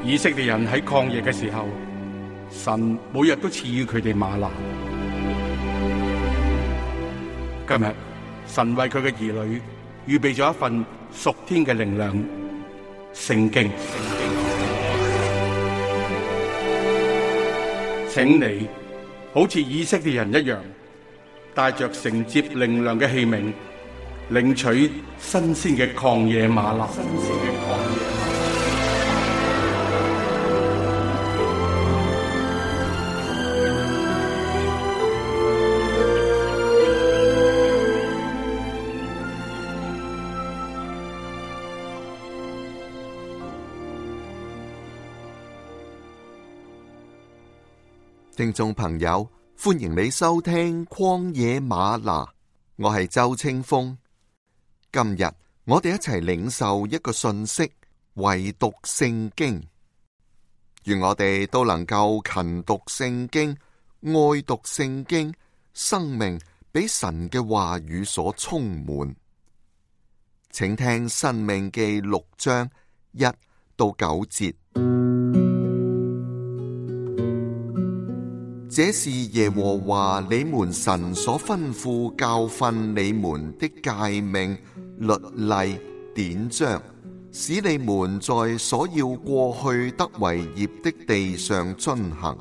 以色列人喺曠野嘅時候，神每日都賜予佢哋嗎哪。今日神為佢嘅兒女預備咗一份屬天嘅靈糧——聖經。請你好似以色列人一樣，帶着承接靈糧嘅器皿，領取新鮮嘅曠野嗎哪。聽眾朋友，歡迎你收聽曠野嗎哪，我係周清風。今日我哋一齊領受一個訊息，唯讀聖經。願我哋都能夠勤讀聖經，愛讀聖經，生命俾神嘅話語所充滿。請聽申命記6章1到9節。這是耶和華你們神所吩咐教訓你們的誡命、律例、典章，使你們在所要過去得為業的地上遵行，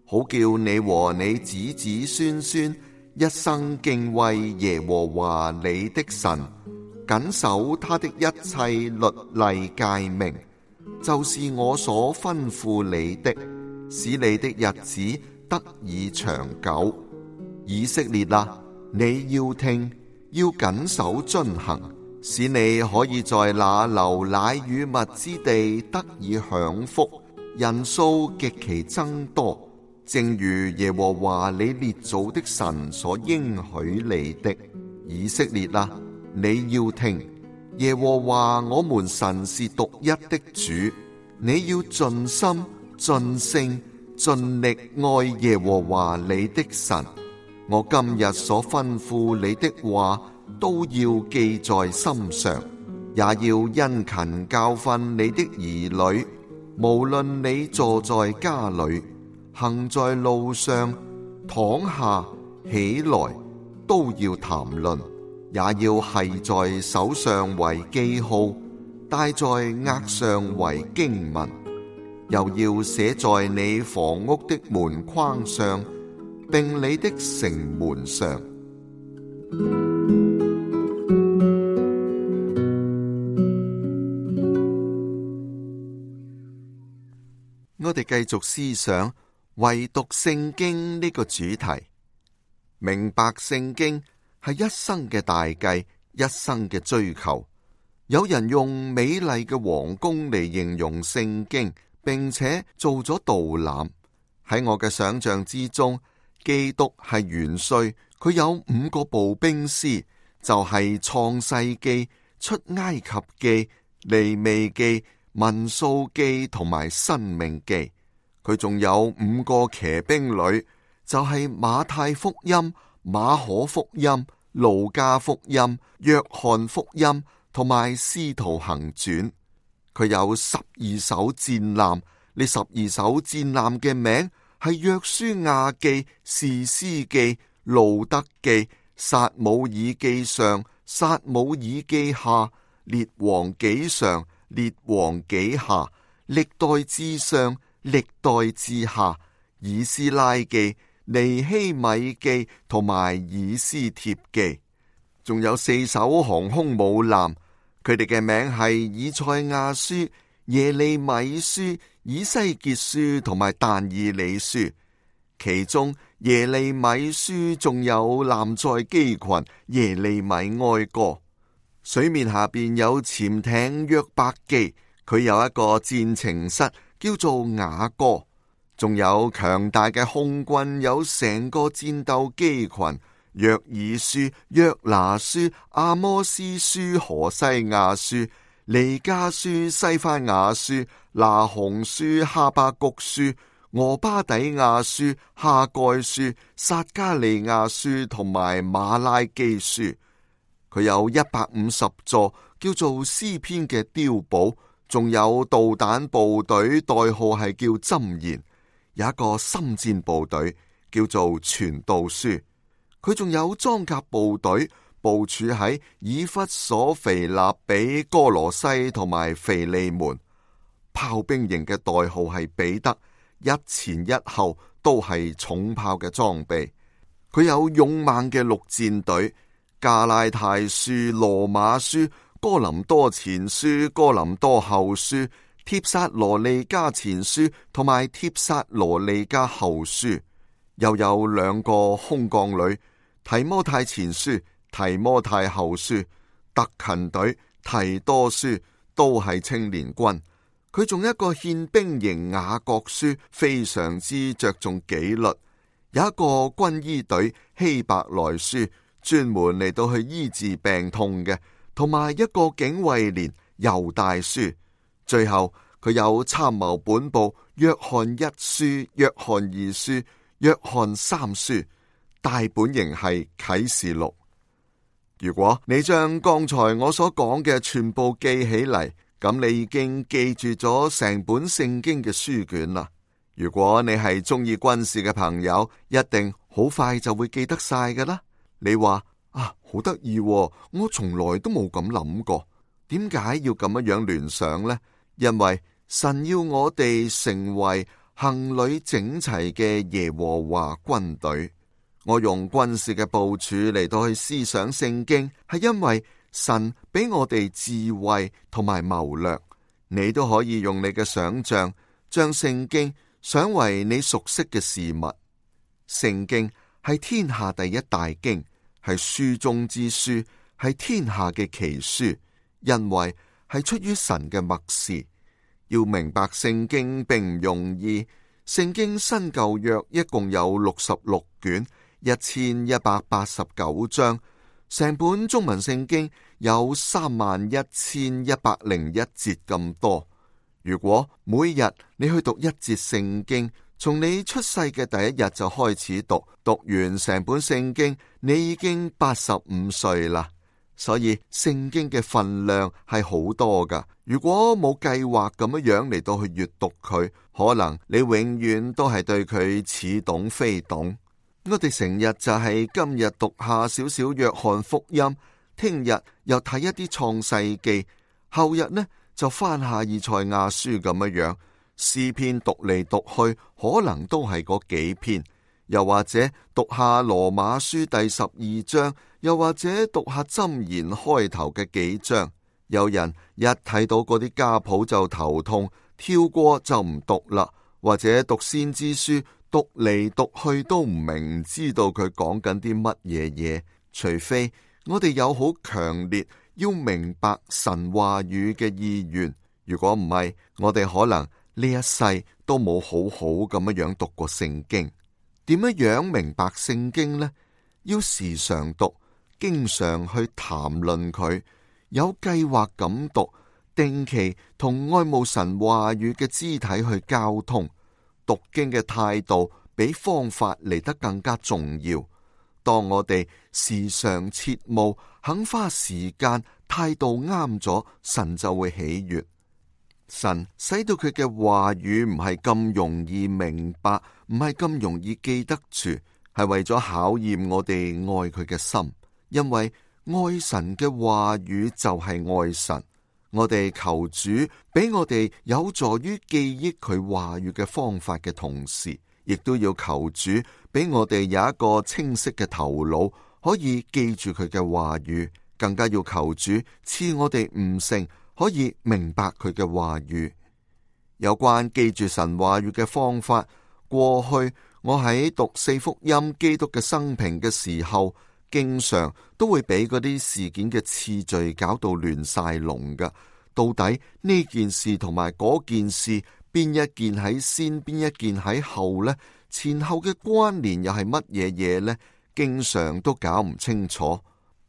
好叫你和你子子孫孫一生敬畏耶和華你的神，謹守他的一切律例誡命，就是我所吩咐你的，使你的日子得以長久。以色列啊，你要聽，要謹守遵行，使你可以在那流奶與蜜之地得以享福，人數極其增多，正如耶和華你列祖的神所應許你的。以色列啊，你要聽，耶和華我們神是獨一的主，你要盡心、盡性、盡力愛耶和華你的神。我今日所吩咐你的話都要記在心上，也要殷勤教訓你的兒女，無論你坐在家裏，行在路上，躺下起來，都要談論，也要繫在手上為記號，戴在額上為經文，又要寫在你房屋的門框上，並你的城門上。我哋繼續思想唯讀聖經呢個主題。明白聖經係一生嘅大計，一生嘅追求。有人用美麗嘅皇宮嚟形容聖經，並且做咗導覽。喺我嘅想象之中，基督係元帥，佢有5個步兵師，就係創世記、出埃及記、利未記、民數記同埋申命記。佢仲有5個騎兵旅，就係馬太福音、馬可福音、路加福音、約翰福音同埋使徒行傳。佢有12艘戰艦，呢12艘戰艦嘅名係約書亞記、士師記、路德記、撒母耳記上、撒母耳記下、列王紀上、列王紀下、歷代志上、歷代志下、以斯拉記、尼希米記同埋以斯帖記。仲有4艘航空母艦，佢哋嘅名係以賽亞書、耶利米書、以西結書同埋但以理書。其中耶利米書仲有艦載機群耶利米哀歌。水面下邊有潛艇約伯記，佢有一個戰情室叫做雅歌。仲有強大嘅空軍，有成個戰鬥機群，約珥書、約拿書、阿摩司書、何西亞書、彌迦書、西番雅書、拿鴻書、哈巴谷書、俄巴底亞書、哈蓋書、撒迦利亞書同埋馬拉基書。佢有150座叫做詩篇嘅碉堡，仲有導彈部隊，代號係叫箴言；有一個深戰部隊叫做傳道書。佢仲有裝甲部隊部署喺以弗所、腓立比、哥羅西同埋腓利門。炮兵營嘅代號係彼得，一前一後都係重炮嘅裝備。佢有勇猛嘅陸戰隊，加拉太書、羅馬書、哥林多前書、哥林多後書、帖撒羅尼加前書同埋帖撒羅尼加後書。又有2個空降旅，提摩太前書、提摩太後書。特勤隊、提多書都係青年軍。佢仲有一個憲兵營雅各書，非常之着重紀律。有一個軍醫隊希伯來書，專門嚟到去醫治病痛嘅，同埋一個警衛連猶大書。最後佢有參謀本部約翰一書、約翰二書、約翰三書。大本營係啟示錄。如果你將剛才我所講嘅全部記起嚟，咁你已經記住咗成本聖經嘅書卷啦。如果你係中意軍事嘅朋友，一定好快就會記得晒㗎啦。你話啊，好得意喎，我從來都冇咁諗過。點解要咁樣聯想呢？因為神要我哋成為行旅整齊嘅耶和華軍隊。我用軍事嘅部署嚟到去思想聖經，係因為神俾我哋智慧同埋謀略。你都可以用你嘅想象，將聖經想為你熟悉嘅事物。聖經係天下第一大經，係書中之書，係天下嘅奇書，因為係出於神嘅默示。要明白聖經並唔容易。聖經新舊約一共有66卷，1189章。成本中文聖經有31101節咁多。如果每日你去讀一節聖經，從你出世嘅第一日就開始讀，讀完成本聖經，你已經85歲啦。所以聖經嘅分量係好多噶。如果冇計劃咁樣嚟到去閱讀佢，可能你永遠都係對佢似懂非懂。我哋成日就係今日讀下少少約翰福音，聽日又睇一啲創世記，後日呢就翻下以賽亞書咁樣。詩篇讀嚟讀去，可能都係嗰幾篇，又或者讀下羅馬書第12章，又或者讀下箴言開頭嘅幾章。有人一睇到嗰啲家譜就頭痛，跳過就唔讀啦，或者讀先知書，讀嚟讀去都唔明，唔知道佢講緊啲乜嘢嘢。除非我哋有好強烈要明白神話語嘅意願，如果唔係，我哋可能呢一世都冇好好咁樣讀過聖經。點樣明白聖經呢？要時常讀，經常去談論佢，有計劃咁讀，定期同愛慕神話語嘅肢體去交通。讀經嘅態度比方法嚟得更加重要。當我哋時常切慕，肯花時間，態度啱咗，神就會喜悅。神使到佢嘅話語唔係咁容易明白，唔係咁容易記得住，係為咗考驗我哋愛佢嘅心。因為愛神嘅話語就係愛神。我哋求主俾我哋有助於記憶佢話語嘅方法嘅同時，亦都要求主俾我哋有一個清晰嘅頭腦，可以記住佢嘅話語。更加要求主賜我哋悟性，可以明白佢嘅話語。有關記住神話語嘅方法，過去我喺讀四福音基督嘅生平嘅時候，經常都會俾嗰啲事件嘅次序搞到亂晒龍噶。到底呢件事同埋嗰件事，邊一件喺先，邊一件喺後呢？前後嘅關聯又係乜嘢嘢呢？經常都搞唔清楚。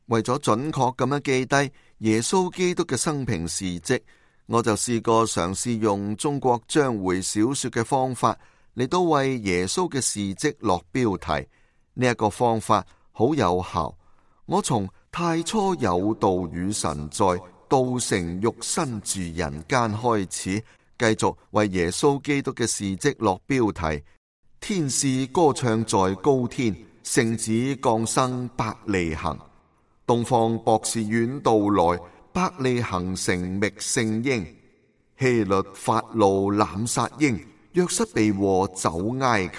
為咗準確咁樣記低耶穌基督嘅生平事跡，我就試過嘗試用中國章回小說嘅方法嚟到為耶穌嘅事跡落標題。呢一個方法好有效。我從太初有道與神在，道成肉身住人間開始，繼續為耶穌基督嘅事蹟落標題。天使歌唱在高天，聖子降生伯利恆。東方博士遠道來，伯利恆城覓聖嬰。希律發怒濫殺嬰，約瑟被禍走埃及。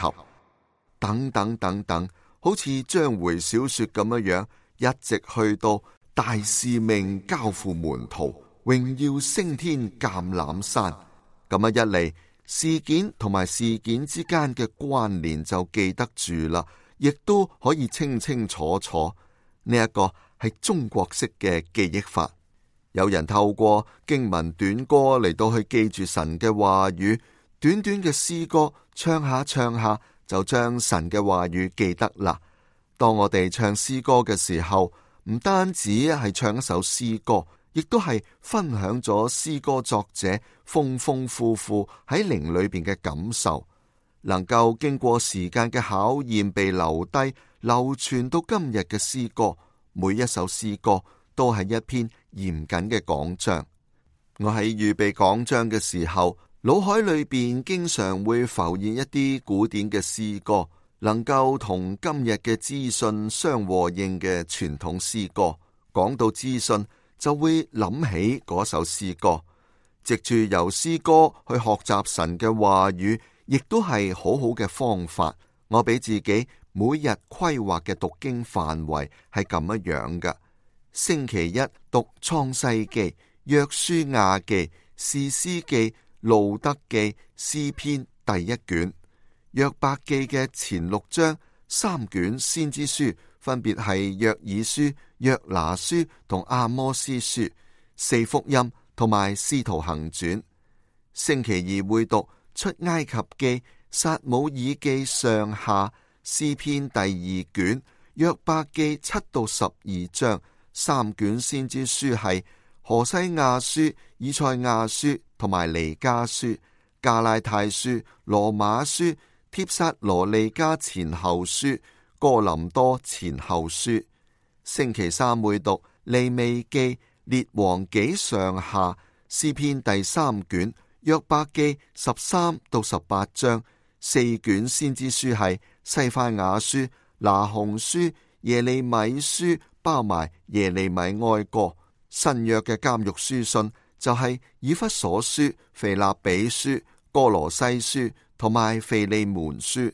等等等等，好似章回小說咁樣，一直去到大使命交付門徒，榮耀升天橄欖山。咁樣一嚟，事件同埋事件之間嘅關聯就記得住啦，亦都可以清清楚楚。呢一個係中國式嘅記憶法。有人透過經文短歌嚟到去記住神嘅話語，短短嘅詩歌唱下唱下就將神嘅話語記得啦。當我哋唱詩歌嘅時候，唔單止係唱一首詩歌，亦都係分享咗詩歌作者豐豐富富喺靈裏邊嘅感受，能夠經過時間嘅考驗被留低，流傳到今日嘅詩歌，每一首詩歌都係一篇嚴謹嘅講章。我喺預備講章嘅時候，腦海裏邊經常會浮現一啲古典嘅詩歌，能夠同今日嘅資訊相和應嘅傳統詩歌。講到資訊，就會諗起嗰首詩歌，藉住由詩歌去學習神嘅話語，亦都係好好嘅方法。我俾自己每日規劃嘅讀經範圍係咁樣嘅：星期一讀創世記、約書亞記、士師記、路德記、詩篇第一卷；約伯記嘅前6章，3卷先知書分別係約珥書、約拿書同阿摩司書，4福音同埋使徒行傳。星期二會讀出埃及記、撒母耳記上下、詩篇第2卷、約伯記7到12章，3卷先知書係何西亞書、以賽亞書同埋彌迦書、加拉太書、羅馬書、帖撒羅尼迦前後書、哥林多前後書。星期三會讀利未記、列王紀上下、詩篇第3卷、約伯記13到18章，4卷先知書係西番雅書、拿鴻書、耶利米書，包埋耶利米哀歌。新約嘅監獄書信就係以弗所書、腓立比書、哥羅西書同埋腓利門書。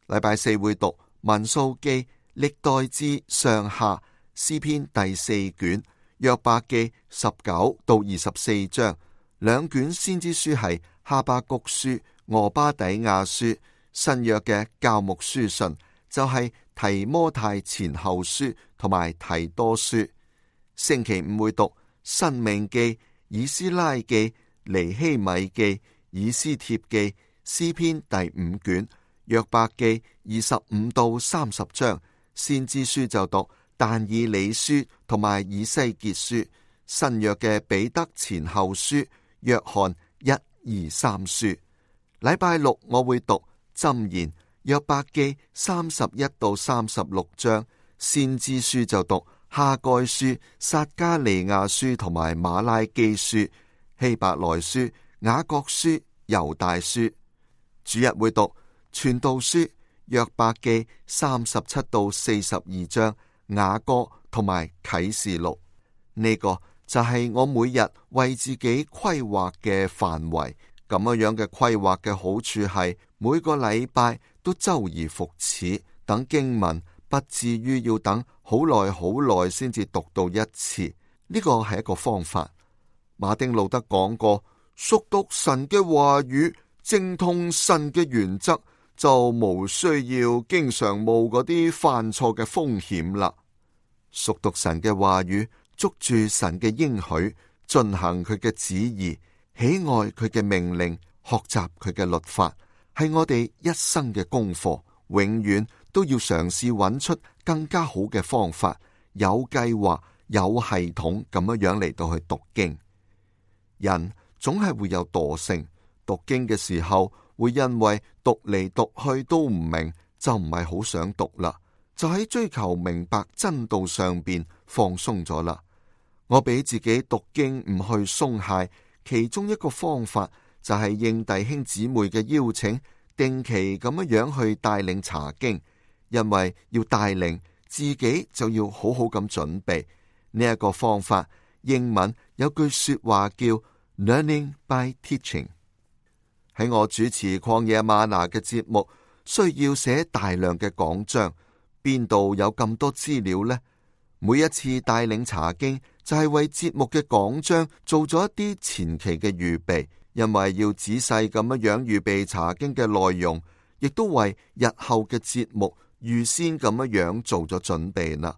禮拜四會讀民數記、歷代志上下、詩篇第4卷、約伯記19到24章，2卷先知書係哈巴谷書、俄巴底亞書。新約嘅教牧書信就係提摩太前後書同埋提多書。星期五會讀申命記、以斯拉記、尼希米記、以斯帖記、詩篇第5卷、約伯記25到30章。先知書就讀但以理書同埋以西結書。新約嘅彼得前後書、約翰1、2、3書。禮拜六我會讀箴言、約伯記31到36章。先知書就讀哈該書、撒迦利亞書同埋馬拉基書、希伯來書、雅各書、猶大書。主日會讀傳道書、約伯記37到42章、雅歌同埋啟示錄。呢個就係我每日為自己規劃嘅範圍。咁樣嘅規劃嘅好處係每個禮拜都周而復始，等經文不至於要等好耐好耐先至讀到一次。呢個係一個方法。馬丁路德講過，熟讀神嘅話語，精通神嘅原則，就無需要經常冒嗰啲犯錯嘅風險啦。熟讀神嘅話語，捉住神嘅應許，進行佢嘅旨意，喜愛佢嘅命令，學習佢嘅律法，係我哋一生嘅功課。永遠都要嘗試揾出更加好嘅方法，有計劃、有系統咁樣嚟到去讀經。人總係會有惰性，讀經嘅時候會因為讀嚟讀去都唔明，就唔係好想讀啦，就喺追求明白真道上邊放鬆咗啦。我俾自己讀經唔去鬆懈，其中一個方法就係應弟兄姊妹嘅邀請，定期咁樣去帶領查經。因為要帶領，自己就要好好咁準備。呢一個方法，英文有句說話叫 Learning by Teaching。喺我主持曠野嗎哪嘅節目，需要寫大量嘅講章，邊度有咁多資料呢？每一次帶領查經，就係為節目嘅講章做咗一啲前期嘅預備，因為要仔細咁樣預備查經嘅內容，亦都為日後嘅節目預先咁樣做咗準備啦。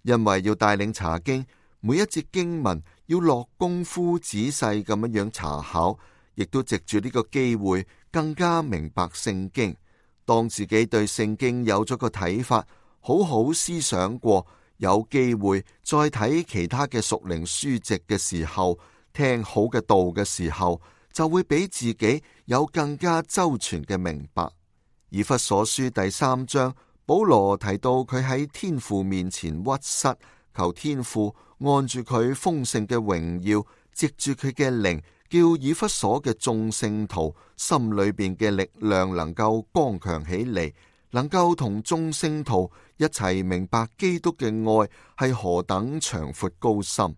因為要帶領查經，每一節經文要落功夫仔細咁樣查考，亦都藉住呢個機會更加明白聖經。當自己對聖經有咗個睇法，好好思想過，有機會再睇其他嘅屬靈書籍嘅時候，聽好嘅道嘅時候，就會俾自己有更加周全嘅明白。以弗所書第3章，保羅提到佢喺天父面前屈膝，求天父按住佢豐盛嘅榮耀，藉住佢嘅靈，叫以弗所嘅眾聖徒心裏邊嘅力量能夠剛強起嚟，能夠同眾聖徒一齊明白基督嘅愛係何等長闊高深。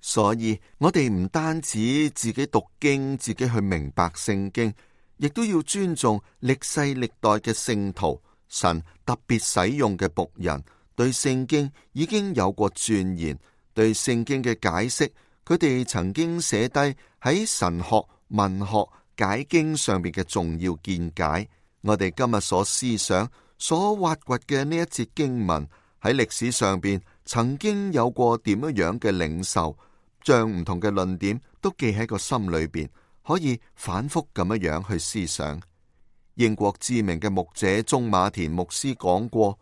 所以我哋唔單止自己讀經，自己去明白聖經，亦都要尊重歷世歷代嘅聖徒，神特別使用嘅僕人，對聖經已經有過鑽研，對聖經嘅解釋，佢哋曾經寫低喺神學、文學、解經上面嘅重要見解。我哋今日所思想、所挖掘嘅呢一節經文，喺歷史上邊曾經有過點樣嘅領受，將唔同嘅論點都記喺個心裏邊，可以反覆咁樣去思想。英國知名嘅牧者鍾馬田牧師講過，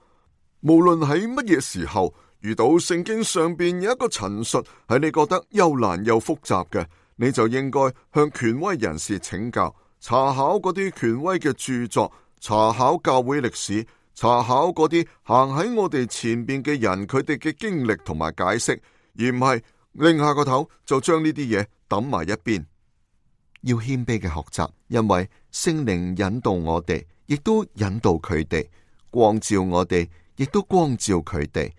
無論喺乜嘢時候遇到聖經上邊有一個陳述係你覺得又難又複雜嘅，你就應該向權威人士請教，查考嗰啲權威嘅著作，查考教會歷史，查考嗰啲行喺我哋前邊嘅人佢哋嘅經歷同埋解釋，而唔係擰下個頭就將呢啲嘢抌埋一邊。要謙卑嘅學習，因為聖靈引導我哋，亦都引導佢哋，光照我哋，亦都光照佢哋。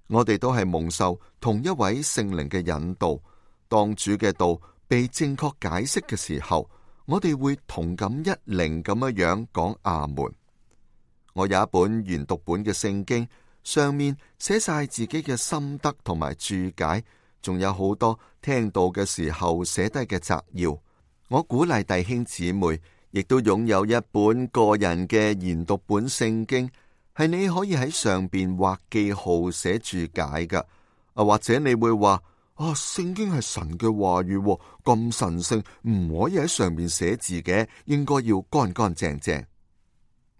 我哋都係蒙受同一位聖靈嘅引導。當主嘅道被正確解釋嘅時候，我哋會同感一靈咁樣講阿門。我有一本研讀本嘅聖經，上面寫晒自己嘅心得同埋注解，仲有好多聽到嘅時候寫低嘅摘要。我鼓勵弟兄姊妹，亦都擁有一本個人嘅研讀本聖經，係你可以喺上邊畫記號寫注解噶。或者你會話聖經係神嘅話語，咁神聖，唔可以喺上面寫字嘅，應該要乾乾淨淨。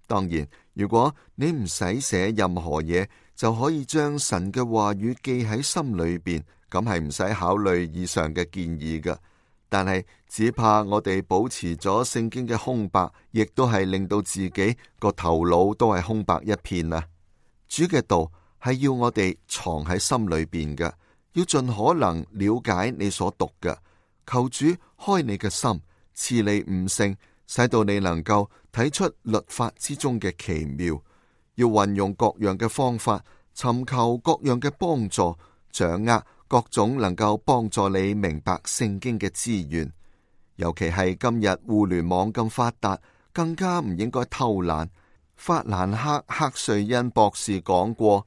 當然，如果你唔使寫任何嘢，就可以將神嘅話語記喺心裏邊，咁係唔使考慮以上嘅建議噶。但係只怕我哋保持咗聖經嘅空白，亦都係令到自己個頭腦都係空白一片啊！主嘅道係要我哋藏喺心裏邊嘅，要盡可能了解你所讀嘅。求主開你嘅心，賜你悟性，使到你能夠睇出律法之中嘅奇妙。要運用各樣嘅方法，尋求各樣嘅幫助，掌握各種能夠幫助你明白聖經嘅資源。尤其係今日互聯網咁發達，更加唔應該偷懶。法蘭克·克瑞恩博士講過，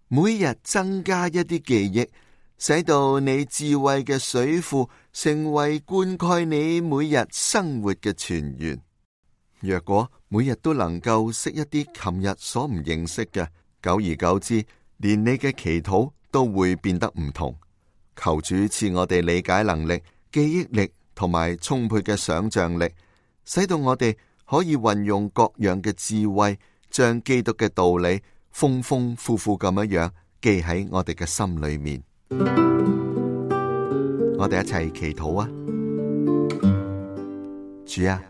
每日增加一啲記憶，使到你智慧嘅水庫成為灌溉你每日生活嘅泉源。若果每日都能夠識一啲琴日所唔認識嘅，久而久之，連你嘅祈禱都會變得唔同。求主賜我哋理解能力、記憶力同埋充沛嘅想象力，使到我哋可以運用各樣嘅智慧，將基督嘅道理豐豐富富咁樣記喺我哋嘅心裏面。我哋一齊祈禱啊！主啊，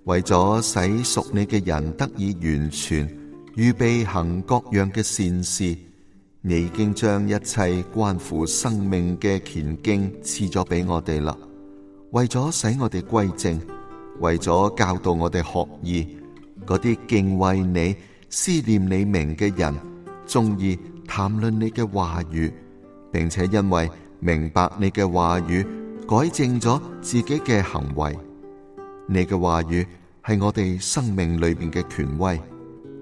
為咗使屬你嘅人得以完全，預備行各樣嘅善事，你已經將一切關乎生命嘅虔經賜咗俾我哋啦，為咗使我哋歸正，為咗教導我哋學義，嗰啲敬畏你、思念你名嘅人，鍾意談論你嘅話語，並且因為明白你嘅話語，改正咗自己嘅行為。你嘅話語係我哋生命裏邊嘅權威。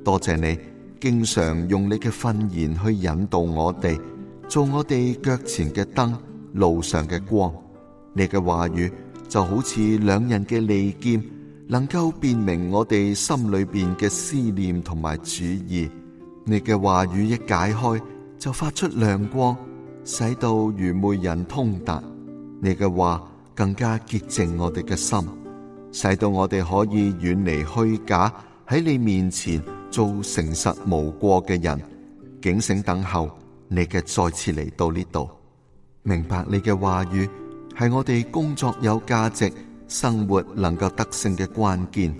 多謝你經常用你嘅訓言去引導我哋，做我哋腳前嘅燈，路上嘅光。你嘅話語就好似兩刃嘅利劍，能夠辨明我哋心裏邊嘅思念同埋主意。你嘅話語一解開，就發出亮光，使到愚昧人通達。你嘅話更加潔淨我哋嘅心，使到我哋可以遠離虛假，喺你面前做誠實無過嘅人，警醒等候你嘅再次嚟到呢度。明白你嘅話語係我哋工作有價值、生活能夠得勝嘅關鍵。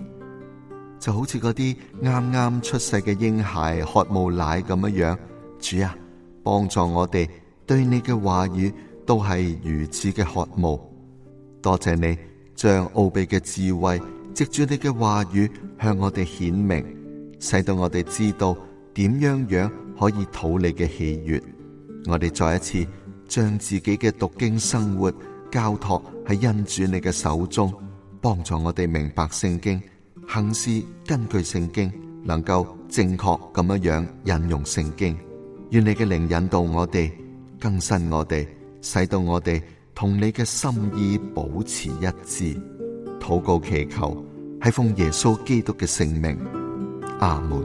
就好似嗰啲啱啱出世嘅嬰孩渴慕奶咁樣，主啊，幫助我哋對你嘅話語都係如此嘅渴慕。多謝你將奧秘嘅智慧藉住你嘅話語向我哋顯明，使到我哋知道點樣可以討你嘅喜悅。我哋再一次將自己嘅讀經生活交託喺恩主你嘅手中，幫助我哋明白聖經，行事根據聖經，能夠正確咁樣引用聖經。願你嘅靈引導我哋，更新我哋，使到我哋同你嘅心意保持一致。禱告祈求係奉耶穌基督嘅聖名，阿門。